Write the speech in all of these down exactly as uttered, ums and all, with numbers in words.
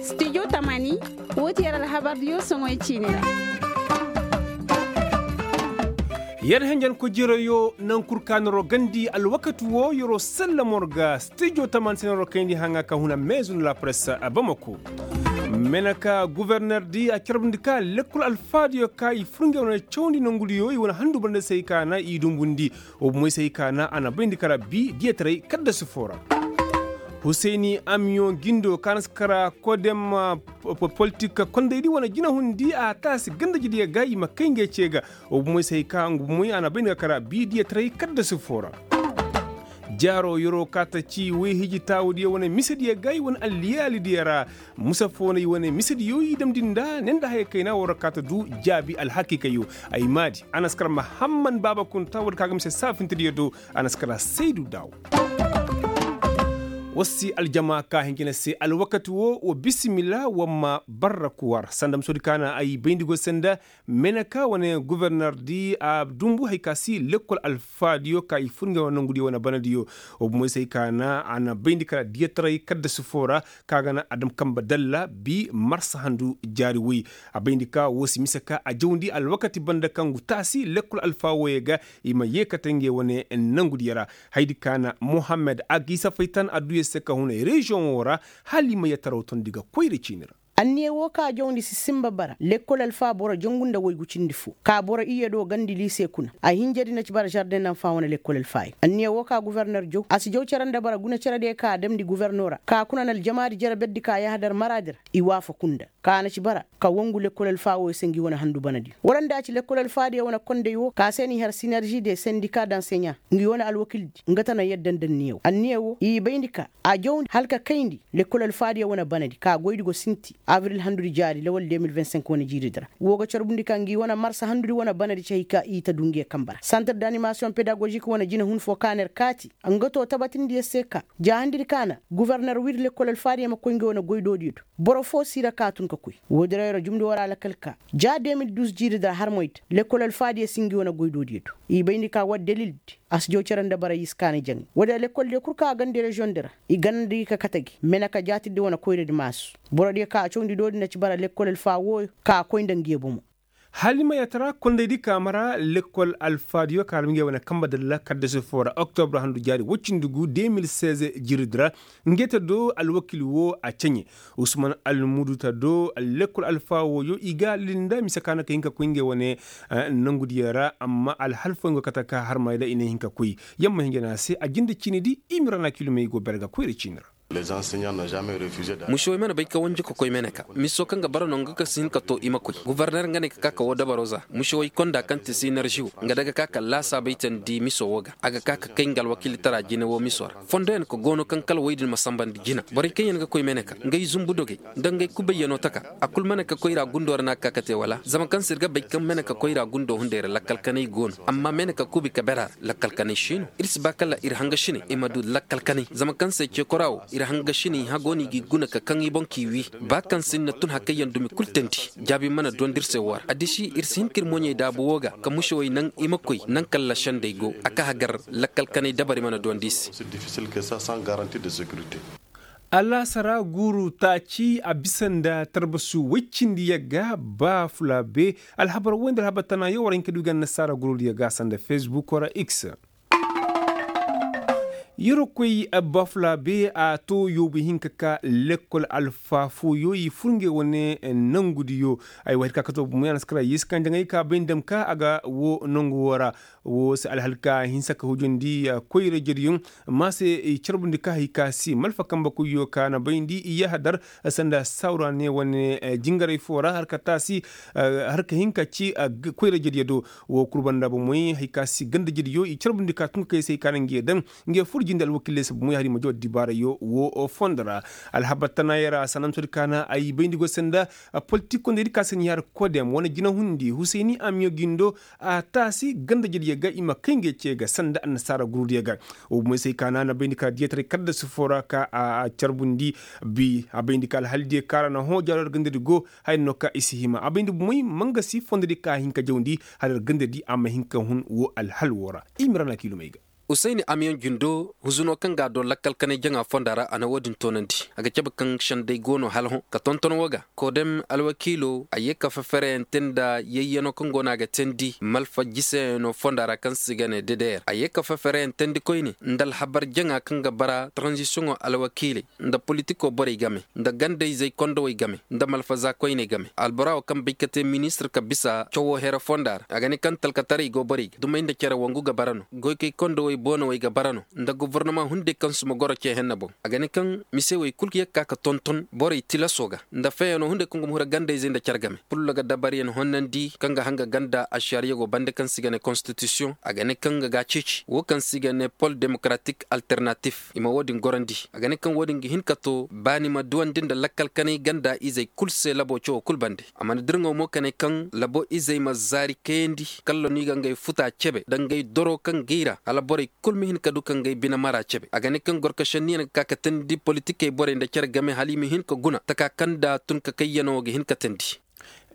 Studio tamani. Wo ti yer alhabardiyo soŋoy ciini ra. Yer henjen ko jiroyo naŋ kul ka noro gandi alwakati wo yero sallamor ga studio tamani se noro kayndi haŋa ka huna maison la presse a bamako. Mene ka guverner di a carbundi ka lekkol alfaadiyo ka i fur ngey wane cawandi nongudiyo i wane handu banda se i ka na i dumbundi. Wo bomoy se i ka na a na bayndi kara bi diyataray kaddasi fo ra. Husayni amiyo gindo ka na si kara kodem politik kondaydi wane jinahundi a taasi gandajediyo ga i ma kay ngey ce ga. Wo bomoy se i ka nga bomoy a na bayndi ga kara bi diyataray kaddasi fo ra. Jaaro yeroo kaata ci woy hiji taawudiyo wane misediyo ga i wane alliyaalidiyo ra. Musa foo no i wane misediyo i damndi nda ne nda haya kayna war kaata du jaabi alhakiikayo. Ay maadi a na si kar mahamman baaba kunta war kaŋ a ga mise saafintediyo do. A na si kar saydu daaw. War si aljama ka hincina se alwakati wo wa bisimila war ma barra kuwar sanda musodi ka na ay bayndi go sanda. Meneka wane guverner di a dumbu hari ka si lekkol alfaadiyo ka i fur ngey wane nongudiyo wane banadiyo. Wa bomoy se ay ka na a na bayndi kala diyataray kaddasi foo ra ka ga na a dam kamba dalla bi marsa handu jaari woy. A bayndi ka wo si mise ka a jawndi alwakati banda kaŋ gu taasi lekkol alfaa woyey ga i ma yeekate ngey wane nongudiyo ra. Hayadi ka na mohammed a ga i safaytan adduya se ka hunay reziyoŋo ra. Hala i ma yataraw tondi ga koyra ciini ra. Anniya woo ka jawndi si sinba bara lekkol alfaa boro jangu nda waygu cindi foo ka boro iyye do gandi liise kuna. A hinjadi na ci bara zardeŋ nanfaa wane lekkol alfaayo anniya woo ka guverner jaw a si jaw cere nda bara guna cerediyo ka a damndi guverno ra ka kuna na aljamaadi jere berdi ka yahadar maraadi ra. I waafaku nda ka na ci bara ka wangu lekkol alfaa wooyo se ngi wane handu banadiyo wala nda a ci lekkol alfaadiyo wane konday woo ka se n'i har sinerži de sendika danseɲa. Ngi wane alwakildi nga tana yadda nda anniya woo anniya woo i bayndi ka a jawndi hala ka kayndi. Lekkol alfaadiyo wane banadi ka goydi go sinti abril handudi jaari lawal de mil vingt cinq wane jiiridi ra. Woo ga carbundi ka ngi wane marsa handudi wane banadi ci hay ka i ta du ngiyo kamba ra santir danimasiyoŋ pedagozik wane jinahun foo ka na yer kaati. Nga too tabatindiyo se ka ja handidi ka na guverner wiri lekkol alfaadiyo ma koy ngiyo wane goydoodiyo do. Boro foo si ra ka tun ka koy woodi ra yer jumndi war a lakkal ka ja de mil duuz jiiridi ra har moyda lekkol alfaadiyo si ngi wane goydoodiyo do. I bayndi ka war dalildi a si jaw cere nda bara i si kaani jaŋay woodi ra lekkoldiyo kul ka a gandi reziyoŋdi ra. I ganda gi ka kate gi mene ka jaatirdi wane koyradi maasu. Borodiyo ka a cawndi doodi na ci bara lekkol alfaa wooyo ka a koy nda ngiyo bomo. Hala i ma yatara kondaydi ka mara lekkol alfaadiyo ka hala ngey wane kamba dalla kaddasi foo ra oktobre handu jaari woy cindi gu de mil seize jiiridi ra. Nge ta do alwakil woo a ceɲe usman almudu ta do lekkol alfaa wooyo i ga lili nda mise ka na ka hin ka koy ngey wane nongudiyo ra amma alhal fooyaŋ go kate ka harmay ra i na hin ka koy. Yamma hinja no a se a jinde ciinidi i ma ra na kilomey go bere ga koyra ciini ra. Musewey mana bay ka wanji ka koy meneka miso kaŋ ga bara no nga ka si hin ka to i ma koy guverner nga ne ka ka ka woo dabaro za. Musewey konda kaŋ ti sinerži woo nga day ga ka ka laasaabey teendi miso woo ga a ga ka ka kay nga alwakiilitara jine woo miso ra. Fondoyaŋ ka goono kaŋ kala woy din ma sanbandi jina borey kaŋ yaŋ ga koy meneka ngey zumbu dogey nda ngey kubayyanoo taka. A kul meneka koyra gundo ra no a ga ka ka te wala zama kaŋ se ir ga bay kaŋ meneka koyra gundo hunday ra lakkal kanay go no amma meneka kubi ka bera ra. Lakkal kanay si no ir si ba kala ir hangasiney i ma du lakkal kanay zama kaŋ se ceekora wo ir hangasiney hagoo no i g'i guna ka kaŋ i boŋ k'i wii. Ba kaŋ se ir na tun hakayyaŋ dumi kul teendi jaabi mana duwandi ir se woo ra addisi ir si hin ka ir moɲey daabu woo ga ka musewey naŋ i ma koy naŋ kaŋ lasendey go a ka hagar. Lakkal kanay dabari mana duwandi i se. Alaasara guuru taaci a bisa nda tarbasu woy cindi yagga ba fula be. Alhabar woy nda alhabar tana yaŋ war hin ka du ga annasaara gurudiyo ga sanda fesbuk ra x. Yeroo koy ba fula be a to yoobu hinka ka lekkol alfaa fooyo i fur ngey wane nangudiyo. Ay wa hir ka kato bumo yaŋ a na si kara yeesi kaŋ jaŋay ka bay nda dam ka a ga wo nangu wo ra. Woo se alhal ka hinsa ka hujandi koyra jediyoŋ. Ma se i carbundi ka hay ka si malfa kambe koyyo ka na bayndi i yahadar sanda sawra ne wane jingaray foo ra har ka taasi har ka hin ka ci koyra jediyo do. Woo kul banda bomoy hay ka si ganda jediyo i carbundi ka tun ka kay se hay ka na nge daŋ nge fur jinde alwakilley se bomoy har i ma jaw addibaarayo woo fondo ra. Alhabar tanaayey ra sananto di ka na ay bayndi go sanda politik kondey di ka se ni har kodem wane jinahundi husayni amiyo gindo. A taasi ganda jediyo ga i ma kay ngey ce ga sanda annasaara gurudiyo ga. Wo bomoy se ay ka na a na bayndi ka diyataray kaddasi foo ra ka a carbundi. Bi a bayndi ka alhalidiyo ka ra na hõ jaaro yer gandadi go. Haya no ka i si hima a bayndi bomoy mangasi fondodi ka a hin ka jawndi hala yer gandadi a ma hin ka hun wo alhal wo ra. I ma ra na kiilumey ga. Usayni amiyoŋ jindo huzuno kaŋ ga a do lakkal kanay jaŋa fonda ra a na wo-din toonandi. A ga cabe kaŋ senday go no hala hõ ka tonton wo ga kodem alwakiilo a ye ka fefereyante nda yayyano kaŋ go no a ga teendi malfa jiseyaŋo fonda ra kaŋ se i ga ne dedeyer a ye ka fefereyante nda koyne nda alhabar jaŋa kaŋ ga bara taranzisiyoŋo alwakiiley nda politikoo borey game nda ganda-izey kondowey game nda malfaza koyney game albora wo kaŋ bay ka te ministir ka bisa cawo here fonda ra a ga ne kaŋ talkataray go borey ga dumey nda cere wangu ga bara no goykey kondowey boonowey ga bara no nda gobornoma hunday kaŋ suma goro ce henna boŋ a ga ne kaŋ mise wey kul ga ye ga ka ka tonton borey tilaso ga nda feyanoo hunday kaŋ go ma hura ganda-izey nda cere game pullo ga dabaryaŋ honnandi kaŋ ga hanga ganda ašariya go bande kaŋ se i ga ne konstitisiyoŋ a ga ne kaŋ ga ga a ceeci wo kaŋ se i ga ne pol demokaratik alternatif i ma wo-din gorandi a ga ne kaŋ wo-din ga hin ka to baani ma duwandi nda lakkal kanay ganda izey kul se labo cawo kul bande a mana dirŋaw mo ka ne kaŋ labo izey ma zaari kayandi kalla no i ga ngey futa cebe nda ngey doro kaŋ gay ra hala borey kul ma hin ka du ka ngey bine mara cebe a ga ne kaŋ gorkašenniyaŋ ga ka ka teendi politikey borey nda cere game hala i ma hin ka guna taka kaŋ nda tun ka kayyanoo ga hin ka teendi.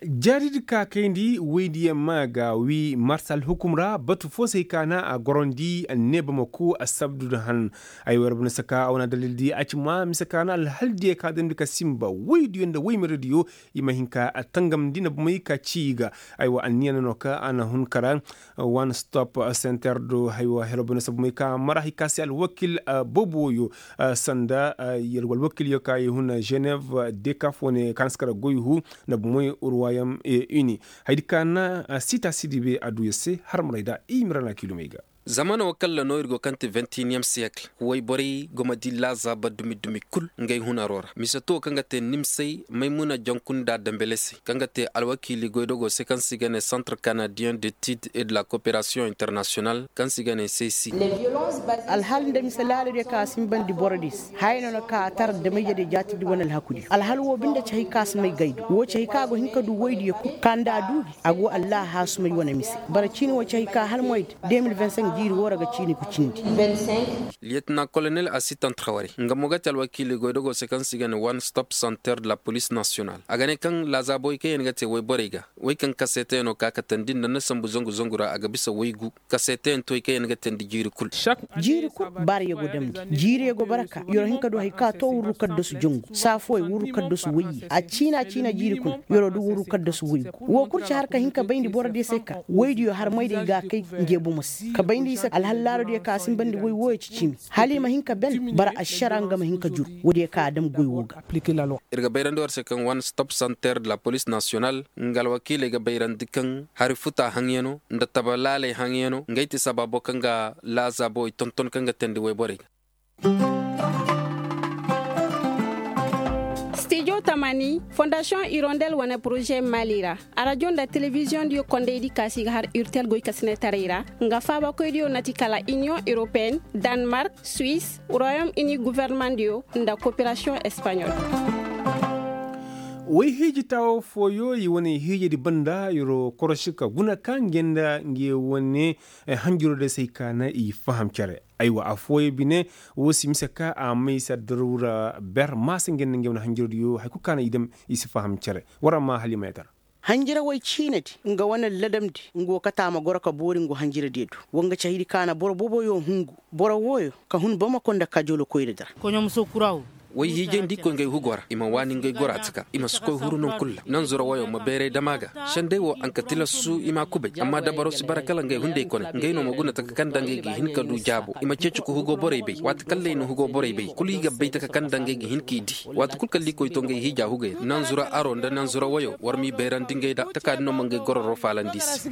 Jaadidi ka kayndi woydiyaŋ ma ga wi marsa alhukum ra batu fo se hay ka na a gorandi anneeba ma ku assabdu nda han. Ay war bana saka a wana dalildi a ci ma mise ka na alhaldiyaŋ ka damndi ka sinba woydiyo nda woymerediyo i ma hin ka tangamndi nda bomey ka ci i ga. Aywa anniya no no ka a na hun kara one stop center do haywa hero bana sabu may ka mara hay ka se alwakil boobo yo sanda yalwa alwakil yo ka i hun geneve dekaf wane ka na si kara goy hu nda bomey ruwayam ini. Haydi ka na sita sidibe a du ya se har maray da i mira na kiilumey ga. Zamano wo kalla no ir go kaŋ ti vingt et unième siècle wayborey go ma di laazaaba dumi dumi kul ngey hunaro ra mise to kaŋ ga te nimsey maymuna jankunda dambele se kaŋ ga te alwakiili goydogo se kaŋ se i ga ne centre canadien d'étude et de la coopération internationale kaŋ se i ga ne sesi. Alhal nda mise laaladiyo kaŋ a sinbandi borodiyo se haya no na ka a tara damayjediyo jaatidi wane alhakudiyo alhal wo binde ci hay kaŋ a si may gay do wo ci hay kaŋ a go hin ka du woydiyo kul kaŋ nda a duubi a go allah haasumay wane mise bara ciini wo ci hay kaŋ hala moy da deux mille vingt-cinq jiiri wo ra ga ciini ga cindi. Liyetina kolonel assistant hawari nga mo ga te alwakiili goydogo se kaŋ se i ga ne one stop center de la police national a ga ne kaŋ laazaabowey kaŋ yaŋ ga te woyborey ga wey kaŋ kaseetayaŋo ka katandi nda ni sambu zangu zangu ra a ga bisa waygu kaseetayaŋ toy kaŋ yaŋ ga teendi jiiri kul. Jiiri kul baara yago damndi jiiri yago baraka yoro hin ka du hari ka to wurru kaddasu jangu saafowey wurru kaddasu wayye a ciina ciina jiiri kuna yoro du wurru kaddasu waygu wo kul ci har ka hin ka bayndi borodiyo se ka waydiyo har moydiyo i ga a kay nge bomo se ka bayndi i se alhallaarodiyo ka a sinbandi way wooyo ci ciimi hala i ma hin ka ben bara ašara nga ma hin ka jur woodiyo ka a dam goy wo ga. Ir ga bayrandi war se kaŋ one stop center de la police national nga alwakiiley ga bayrandi kaŋ hari futa haŋyano nda taba laaley haŋyano ngey ti sabaabo kaŋ ga laazaabowey tonton kaŋ ga teendi wayborey ga. Stijo tamani fondasiyoŋ irondel wane poroze mali ra arajo nda telebiziyoŋ diyo kondaydi kaasi ga har urtel goy kasinetaray ra nga faabakoydiyo na ti kala iniyoŋ europeen, danmark, suwis, royom ini governemandiyo nda koperasiyoŋ espaɲol. Way hiiji taawo fooyo i wane hiijedi banda yoro korosi ka guna ka nge nda nge wane hanjiro de se ay ka na i faham cere. Aywa afooyo bine wo si mise ka a may se addaruura ber maasa nge nda nge wane hanjirodiyo hari kulu ka na i dam i si faham cere. War a ma halima ya tara. Hanjirawey ciinadi nga wane ladamdi nga wo kate a ma goro ka boori nga wo hanjiradiyo do. Wa nga cahidi ka na boro booboyo hungu boro wooyo ka hun bamako nda kajolo koyra dara. Way hiijay nda i koy ngey hugo ra i ma waani ngey gora taka i ma si koy huru non kul ra nanzura woyo ma bayray dama ga. Senday wo a nka tilasu i ma a kubay amma dabaro si bara kala ngey hunday kone ngey no ma guna taka kaŋ nda ngey ga hin ka du jaabo i ma ceeci ka hugo borey bay waati kaŋ lay na hugo borey bay kulu i ga bay taka kaŋ nda ngey ga hin k'i di. Waati kulu kaŋ likoy to ngey hiija hugay ra nanzura aro nda nanzura woyo war m'i bayrandi ngey da taka din no ma ngey gororo faalandi i se.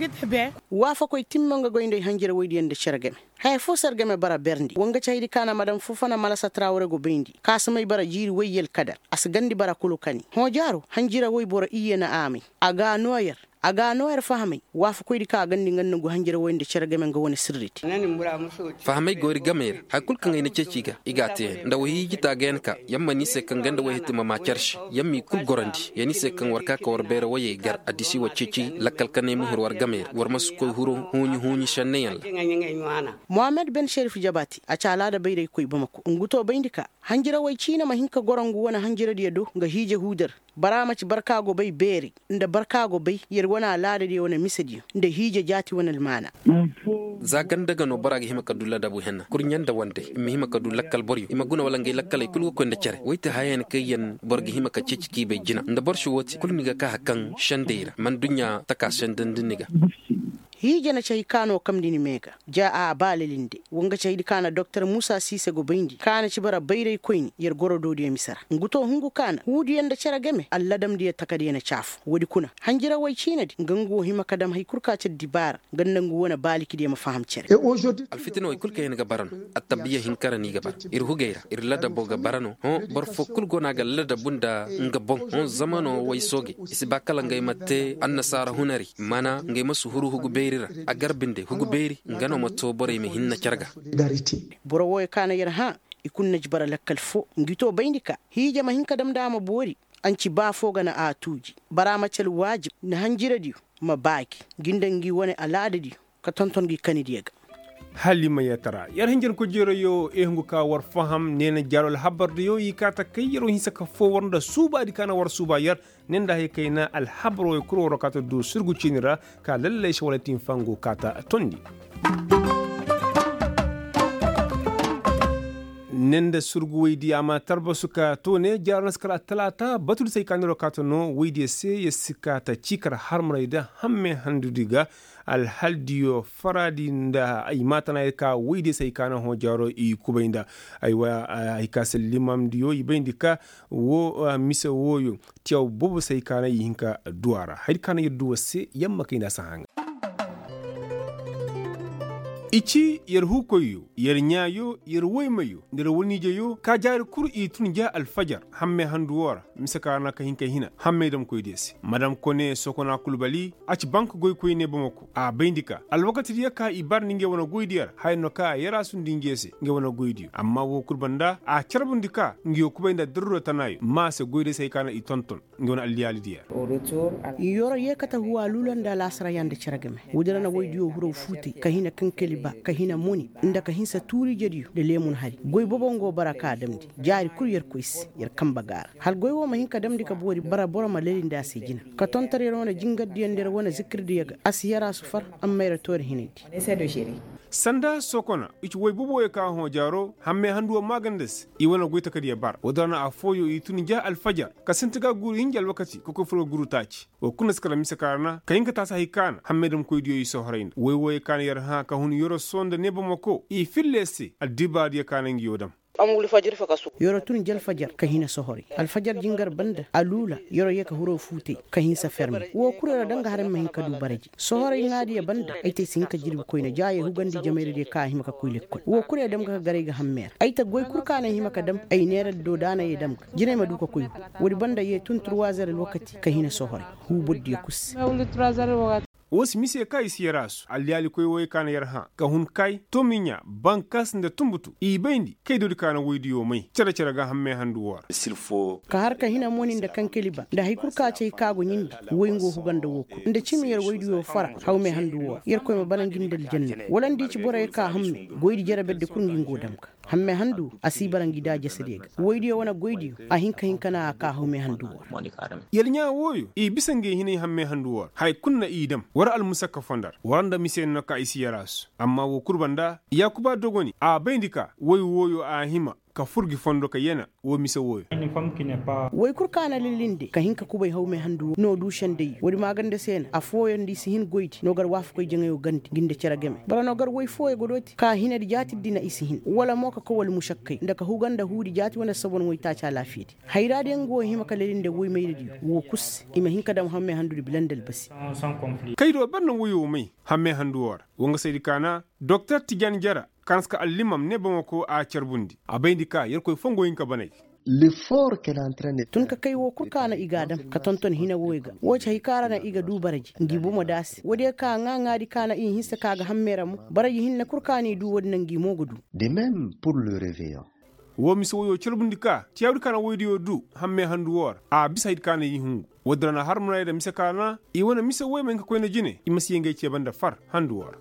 Waafakoy timma nga goy nda ay hanjira woydiyaŋ nda cere game. Haya fo se ar game bara berndi wa nga cahidi ka na madam fofana malasa trawre go bayndi ka si may bara jiiri woy yelkadar a si gandi bara kulu kani hõ jaaro hanjira woy boro iyye na a may. A ga a noo yer a ga a noo yer fahamay. Waafakoydi ka a gandi nga nda ngu hanjira woy nda cere game nga wane sirridi. Fahamay go ir gamey ra haya kulu kaŋ ay na ceeci i ga i ga a te yaŋ nda woy hiiji taaga yaŋ ka yaŋ ma ni se kaŋ ganda woy hiti ma maa cere se. Yaŋ m'i kulu gorandi ya ni se kaŋ war ka ka war bayra woyey gar addisi wa ceeci lakkal kanay ma huru war gamey ra war ma si koy huru huuɲi huuɲi senneyaŋ ra. Mohammed ben sherif jabaati a ci alaada bayraykoy bamako ngu to bayndi ka hanjirawey ciina ma hin ka goro ngu wane hanjiradiyo do nga hiije huudar. Bara ma ci barka go bay beeri nda barka go bay yer wane alaadadiyo wane misediyo nda hiije jaati wane almaana. Za ganda ga no bora ga hima ka du ladabu henna kurɲe nda wande i ma hima ka du lakkal boryo i ma guna wala ngey lakkaley kulu ga koy nda cere woy ti hayayaŋ kaŋ yaŋ boro ga hima ka ceeci k'i bay jina nda boro si woo te kulu ni ga ka hari kaŋ sendey ra mana duɲɲa taka sendandi ni ga. Hiija na ci hay ka no kamndi ni mee ga ja a ba lalinde. Wa nga ci haydi ka na doktor muusa siise go bayndi ka na ci bara bayraykoyni yer goro doodiyo mise ra ngu to hungu ka na huudiyo nda cere game alladamdiyo takadiyo na ci afo woodi kuna hanjirawey ciinadi nga ngu wo hima ka dam hay kul ka ci addibaara nga nda ngu wane baalikidiyo ma faham cere. Alfitinawey kul kaŋ yaŋ ga bara no attabiya hinka ra no i ga bara ir hugey ra ir ladabo ga bara no hõ boro foo kul go no a ga ladabu nda nga boŋ hõ zama no way soogey i si ba kala ngey ma te annasaara hunari mana ngey ma si huru hugu beeri ra a gar binde hugu beeri nga no ma too borey ma hinna care ga. Boro wooyo ka na yer hã i kulu na ji bara lakkal foo ngi too bayndi ka hiija ma hin ka dam nda a ma boori. A nci ba foo ga na a tuuji bara ma ci alwaajib nda hanjiradiyo ma baagi ngi nda ngi wane alaadadiyo ka tonton ngi kanidiyo ga. Hala i ma yeetara yer hinjankoy jeerayoo ehungu ka war faham neena jaaro alhabardiyo i kaa ta kay yeroo hinsa ka foo war nda suubaadi ka na war suuba yer ne nda hay kayna alhabaroo kul waroo kaa ta duu surgu ciini ra ka lallay se wala tinfangu kaa ta tondi. Ne nda surgu woydiyo a ma tarbasu ka too ne jaaro na si kar attalaata batudi se ay kaa neeroo kaa ta noo woydiyo se yer si kaa ta ciikar harmaray nda hamme handudi ga. Alhaldiyo faraadi nda ay maatanaayey ka woydiyo se ay kaa na hõ jaaro i kubay nda ay wa ay kaa se limamdiyo i bayndi ka woo mise wooyo tiyaw boobo se ay kaa na i hin ka duu a ra haydi kaa na yer duu war se yer ma kay nda a si haŋa. I ci yer huukoyyo yer ɲaayo yer woymayo nda yer waniijeyo ka jaari kul i tun ja alfajar hammey handu woo ra mise ka ra na ka hin ka hina hammey damkoydiyo se madam kone sokona kulbali a ci bank goykoy ne bamako a bayndi ka alwakatidiyo ka i bar nda ngey wane goydiyo ra haya no ka yeraasu nda ngey se ngey wane goydiyo amma woo kul banda a carbundi ka nguyo kubay nda darura tanaayo ma se goydiyo se hay ka na i tonton nga wane alliyaalidiyo. Yoro yee kate huwa luula nda alaasara yaŋ nda cere game woodi ra na woydiyo huraw fuutay ka hina kankali ba ka hina moni nda ka hinsa tuuriijediyo nda leemun hari goy bobo nga wo bara ka damndi jaari kul yer koy se yer kambe ga a ra hala goy wo ma hin ka damndi ka boori bara boro ma lali nda a se jina ka tontor yer wane jingardiyo nda yer wane zikirdiyo ga a si yer a sufar amma yer toori hinandi. Sanda sokona i ci woy boboyo ka hõ jaaro hammey handuwo maaganda se i wane goy takadiyo bara woodi ra na affooyo i tun ja alfajar ka sinti ga guuru hinja alwakati ka koy furo ga guuru taaci woo kul na si kala mise ka ra na ka hin ka taasi hay ka na hammey damkoydiyo i sohoray nda woy wooyo ka na yer hã ka hun yoro soo nda neebamako i filla yer se addibaadiyo ka na nguyo dam. Yoro tun ja alfajar ka hina sohoray alfajar jingar banda aluula yoro yee ka huroo fuutay ka hinsa ferme woo kul yoro danga haray ma hin ka duu baraji sohoray ŋaadiyo banda ay te ay si hin ka jirbi koyne ja yee hugandi jamayradiyo ka a hima ka koy lekkol woo kul yee dam ga ka garay ga hammey ra ay ta goy kul ka na ay hima ka dam ay neeradi do da a na yee dam ga jinay ma duu ka koy huu woodi banda yee tun turwaazer alwakati ka hina sohoray huu bordiyo kul se. Woo si mise ka i si yer a su alliyaalikoy wooyo ka na yer hã ka hun kay tomiɲa bankas nda tunbutu i bayndi kay doodi ka na woydiyo may cere-cere ga hammey handu woo ra. Ka har ka hina moni nda kankeli ba nda hay kul ka cay ka go ɲindi woy ngo huga nda woo kul nda cimi yer woydiyo fara hawmey handu woo ra yerkoy ma bara ngi nda aljanna wala nda i ci boroyo ka hamme goydi jere berdi kul ngi ngo dam ga hamme handu a si bara ngi da jasadiyo ga woydiyo wane goydiyo a hin ka hin ka na a ka hawme handu woo ra. Yer ɲaa wooyo i bisa ngey hinay hamme handu woo ra haya kul na i dam war almusakka fondo ra war nda mise no ka i si yer a su amma woo kul banda yaakuba dogoni a bayndi ka woy wooyo a hima ka fur gi fondo ka yana woo mise wooyo. Woy kul ka na lilinde ka hin ka kubay hawme handu woo no du sendey woodi maaganda se na affooyo nda i si hin goydi no gar waafakoy jaŋayo gandi ngi nda cere game boro no gar woy fooyo ga dooti ka hinadi jaatidi na i si hin wala mo ka koy wala mušakkay nda ka huga nda huudi jaati wane sabon woytaaci alaafiyadi hayraadiyo nga wo hima ka lelinde woymayradiyo woo kul se i ma hin ka dam hammey handudi bila nda albasi. Kay do ber na woyo may hammey handu woo ra wa nga saydi ka na doktor tijan jara ka na si ka allimam ne bamako a carbundi a bayndi ka yerkoy foo nga wo hin ka banay. Tun ka kay woo kul ka na i g'a dam ka tonton hina wooyo ga woo ci hay ka ra na i ga duu baraji ngi bomo da a se woodiyo ka ŋaa-ŋaadi ka na i hinsa ka ga hammey ra mo baraji hinne kul ka na i duu woodi na ngi mo ga duu. Woo mise woyo carbundi ka tiyaawdi ka na woydiyo duu hammey handu woo ra a bisa haydi ka na i hungu woodi ra na har munay nda mise ka na i wane mise woy ma hin ka koy nda jine i ma si yee ngey cee banda far handu woo ra.